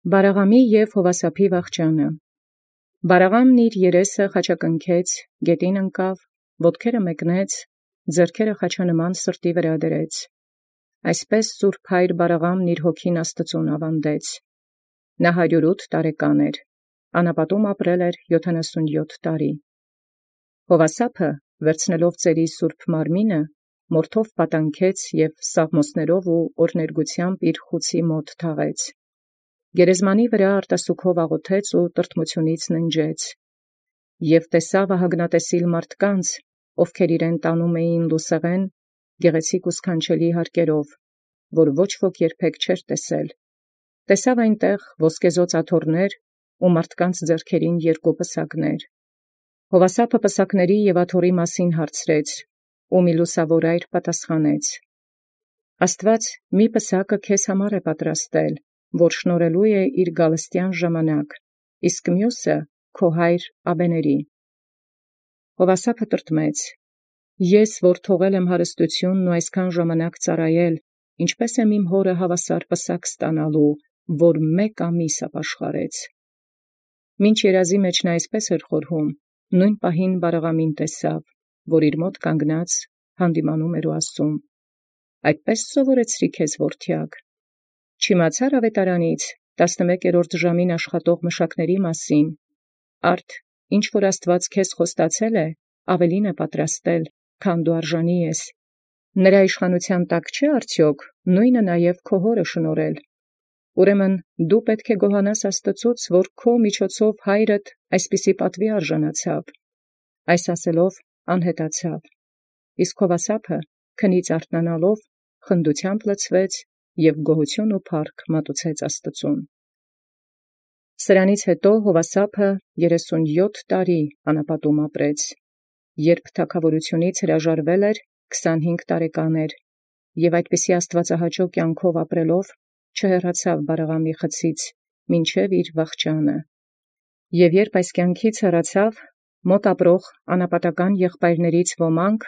Բարաղամի և Հովասափի վախճանը։ Բարաղամն իր երեսը խաչակնքեց, գետին ընկավ, ոտքերը մեկնեց, ձեռքերը խաչանման սրտի վրա դրեց։ Այսպես սուրբ հայր Բարաղամն իր հոգին Աստուծոյ աւանդեց։ Նա 108 տարեկան էր, անապատում ապրել էր 77 տարի։ Հովասափը վերցնելով ծերի սուրբ մարմինը, մորթով պատանքեց և սաղմոսներով ու օրհներգութեամբ իր խուցի մոտ թաղեց։ Գերեզմանի վրա արտասուքով աղոթեց ու տրտմութիւնից ննջեց։ Եւ տեսաւ ահագնատեսիլ մարդկանց, ովքեր իրեն տանում էին լուսեղեն, գեղեցիկ ու սքանչելի հարկերով, որ ոչ ոք երբեք չէր տեսել։ Տեսաւ այնտեղ ոսկեզօծ աթոռներ ու մարդկանց ձեռքերին 2 պսակներ։ Հովասափը պսակների և աթոռի մասին հարցրեց, ու մի լուսաւոր այր պատասխանեց. «Աստուած մի պսակը քեզ համար է պատրաստել, որ շնորհելու է իր գալստեան ժամանակ, իսկ մյուսը քո հայր Աբեների»։ Հովասափը տրտմեց. «Ես, որ թողել եմ հարստութիւնն ու այսքան ժամանակ ծառայել, ինչպէս եմ իմ հօրը հաւասար պսակ ստանալու, որ 1 ամիս ապաշխարեց»։ Մինչ երազի մեջ նա այսպես էր խորհում, նոյն պահին Բարաղամին տեսաւ, որ իր մոտ կանգնած հանդիմանում էր ու ասում. «Այդպե՞ս սովորեցրի քեզ որդեակ. չիմացար աւետարանից 11-րդ ժամին աշխատող մշակների մասին. արդ ինչ որ Աստուած քեզ խոստացել է, ավելին է պատրաստել, քան դու արժանի ես. նրա իշխանութեան տակ չէ՞ արդյոք նոյնը նաև քո հօրը շնորհել. ուրեմն դու պետք է գոհանաս Աստուծոց, որ քո միջոցով հայրդ այսպիսի պատուի արժանացավ։ Այս ասելով անհետացավ, իսկ Հովասափը քնից արթնանալով խնդութեամբ լցվեց և գոհութիւն ու փառք մատուցեց Աստուծոյ։ Սրանից յետո Հովասափը 37 տարի անապատում ապրեց, երբ թագաւորութիւնից հրաժարվել էր, 25 տարեկան էր, և այդպիսի աստուածահաճո կյանքով ապրելով չհեռացավ Բարաղամի խցից մինչև իր վախճանը։ Եւ երբ այս կյանքից հեռացավ, մոտ ապրող անապատական եղբայրներից ոմանք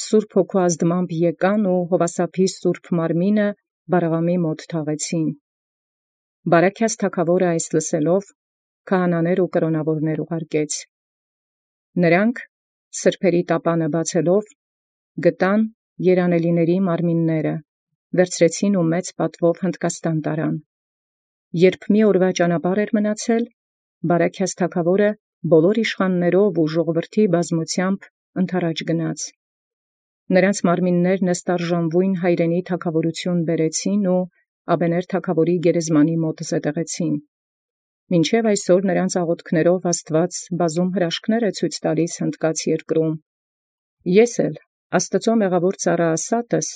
սուրբ հոգու ազդմամբ եկան ու Հովասափի սուրբ մարմինը Բարաղամի մոտ թաղեցին։ Բարեքեաց թագաւորը այս լսելով, քահանաներ ու կրոնաւորներ ուղարկեց։ Նրանք սրբերի տապանը բացելով, գտան երանելիների մարմինները, վերցրեցին ու մեծ պատվով Հնդկաստան տարան։ Երբ մի օրվա ճանապարհ էր մնացել, Բարեքեաց թագաւորը բոլոր իշխաններով ու ժողովրդի բազմութեամբ ընդառաջ գնաց։ Նրանց մարմիններն ըստարժանվոյն հայրենի թագաւորութիւն բերեցին ու Աբեներ թագաւորի գերեզմանի մոտ զետեղեցին։ Մինչև այսօր նրանց աղոթքներով Աստուած բազում հրաշքներ է ցույց տալիս Հնդկաց երկրում։ Ես էլ Աստուծոյ մեղաւոր ծառայ Ասատս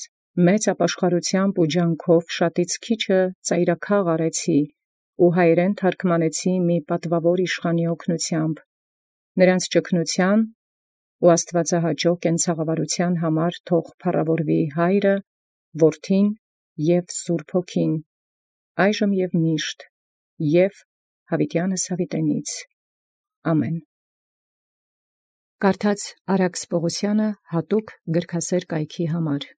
մեծ ապաշխարութեամբ ու ջանքով շատից քիչը ծայրաքաղ արեցի ու հայերեն թարգմանեցի մի պատուավոր իշխանի օգնութեամբ, նրանց ճգնութեան ու աստուածահաճո կենցաղավարութեան համար թող փառաւորուի Հայրը, Որդին և Սուրբ Հոգին, այժմ և միշտ, և յաւիտեանս յաւիտենից. ամեն։ Կարդաց Արաքս Պողոսյանը հատուկ գրքասեր կայքի համար։